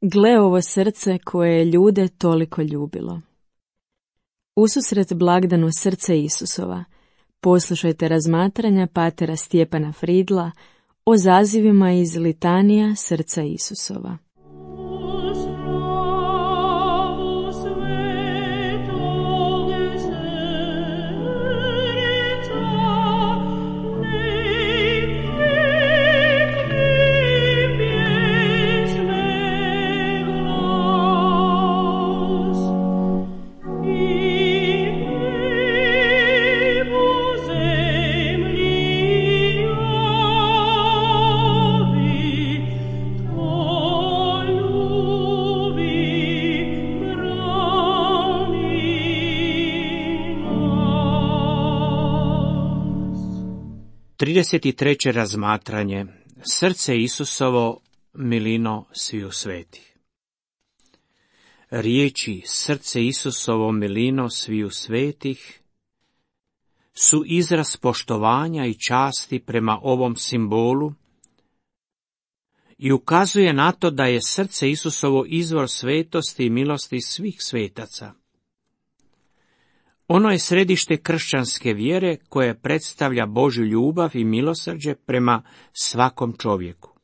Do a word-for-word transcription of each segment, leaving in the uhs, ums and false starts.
Gle ovo srce koje je ljude toliko ljubilo. Ususret blagdanu srce Isusova, poslušajte razmatranja patera Stjepana Fridla o zazivima iz litanija srca Isusova. trideset treće razmatranje. Srce Isusovo, milino sviju svetih. Riječi srce Isusovo, milino sviju svetih su izraz poštovanja i časti prema ovom simbolu i ukazuje na to da je srce Isusovo izvor svetosti i milosti svih svetaca. Ono je središte kršćanske vjere koje predstavlja Božju ljubav i milosrđe prema svakom čovjeku.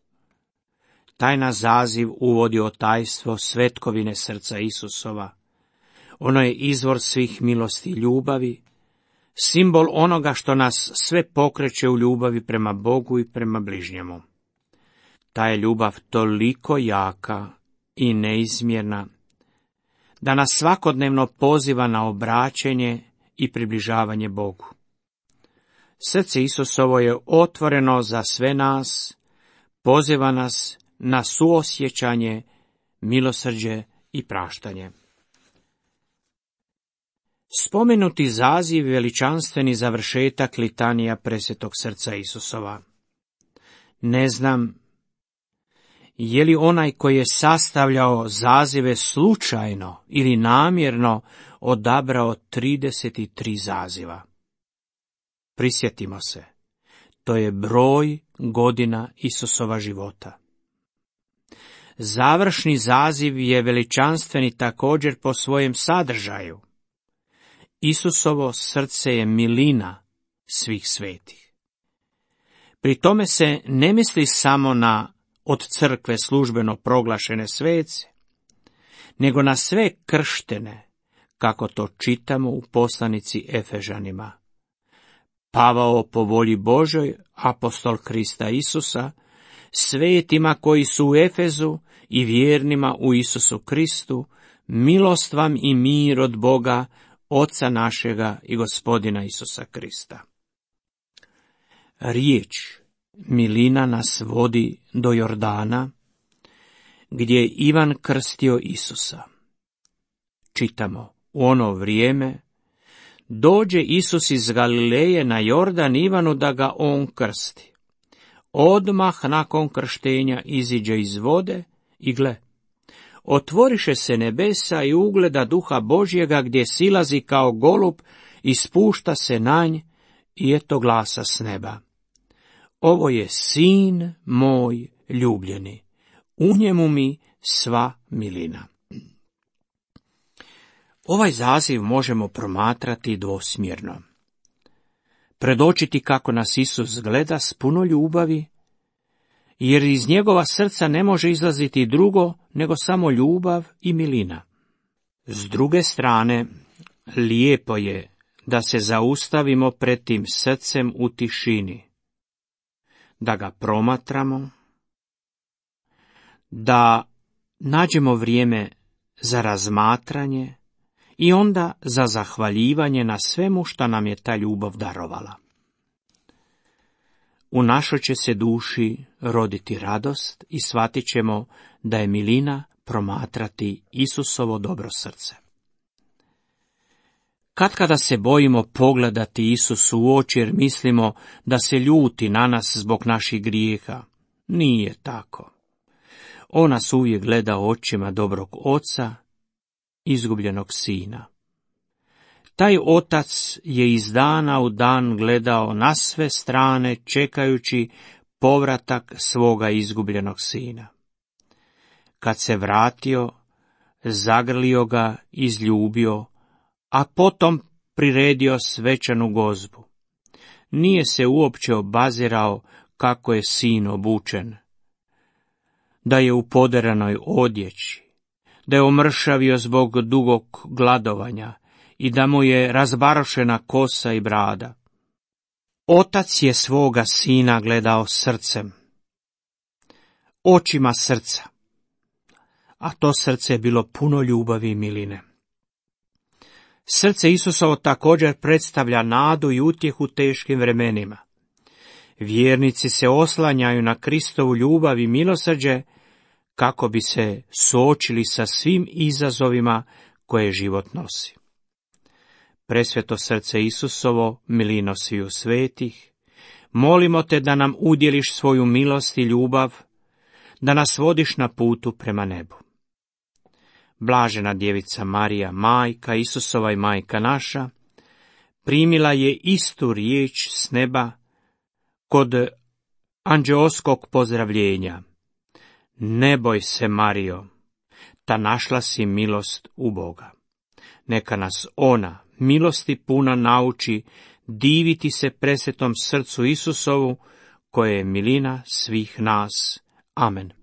Taj nas zaziv uvodi o tajstvo svetkovine srca Isusova. Ono je izvor svih milosti i ljubavi, simbol onoga što nas sve pokreće u ljubavi prema Bogu i prema bližnjemu. Ta je ljubav toliko jaka i neizmjerna da nas svakodnevno poziva na obraćenje i približavanje Bogu. Srce Isusovo je otvoreno za sve nas, poziva nas na suosjećanje, milosrđe i praštanje. Spomenuti zaziv veličanstveni završetak litanija presvetog srca Isusova. Ne znam je li onaj koji je sastavljao zazive slučajno ili namjerno odabrao trideset tri zaziva. Prisjetimo se, to je broj godina Isusova života. Završni zaziv je veličanstveni također po svojem sadržaju. Isusovo srce je milina svih svetih. Pri tome se ne misli samo na od crkve službeno proglašene svece, nego na sve krštene, kako to čitamo u poslanici Efežanima. Pavao po volji Božoj, apostol Krista Isusa, svetima koji su u Efezu i vjernima u Isusu Kristu, milost vam i mir od Boga, Oca našega i Gospodina Isusa Krista. Riječ milina nas vodi do Jordana, gdje je Ivan krstio Isusa. Čitamo, u ono vrijeme dođe Isus iz Galileje na Jordan Ivanu da ga on krsti. Odmah nakon krštenja iziđe iz vode i gle, otvoriše se nebesa i ugleda Duha Božjega gdje silazi kao golub i spušta se na nj i eto glasa s neba. Ovo je sin moj ljubljeni, u njemu mi sva milina. Ovaj zaziv možemo promatrati dvosmjerno. Predočiti kako nas Isus gleda s puno ljubavi, jer iz njegova srca ne može izlaziti drugo nego samo ljubav i milina. S druge strane, lijepo je da se zaustavimo pred tim srcem u tišini, da ga promatramo, da nađemo vrijeme za razmatranje i onda za zahvaljivanje na svemu što nam je ta ljubav darovala. U našoj će se duši roditi radost i shvatit ćemo da je milina promatrati Isusovo dobro srce. Katkada se bojimo pogledati Isusu u oči jer mislimo da se ljuti na nas zbog naših grijeha. Nije tako. On nas uvijek gleda očima dobrog oca, izgubljenog sina. Taj otac je iz dana u dan gledao na sve strane čekajući povratak svoga izgubljenog sina. Kad se vratio, zagrlio ga, izljubio, a potom priredio svečanu gozbu. Nije se uopće obazirao kako je sin obučen, da je u poderanoj odjeći, da je omršavio zbog dugog gladovanja i da mu je razbarošena kosa i brada. Otac je svoga sina gledao srcem, očima srca, a to srce je bilo puno ljubavi i miline. Srce Isusovo također predstavlja nadu i utjehu teškim vremenima. Vjernici se oslanjaju na Kristovu ljubav i milosrđe kako bi se suočili sa svim izazovima koje život nosi. Presveto srce Isusovo, milino sviju svetih, molimo te da nam udjeliš svoju milost i ljubav, da nas vodiš na putu prema nebu. Blažena djevica Marija, majka Isusova i majka naša, primila je istu riječ s neba kod anđeoskog pozdravljenja. Ne boj se, Marijo, ta našla si milost u Boga. Neka nas ona, milosti puna, nauči diviti se presvetom srcu Isusovu, koje je milina svih nas. Amen.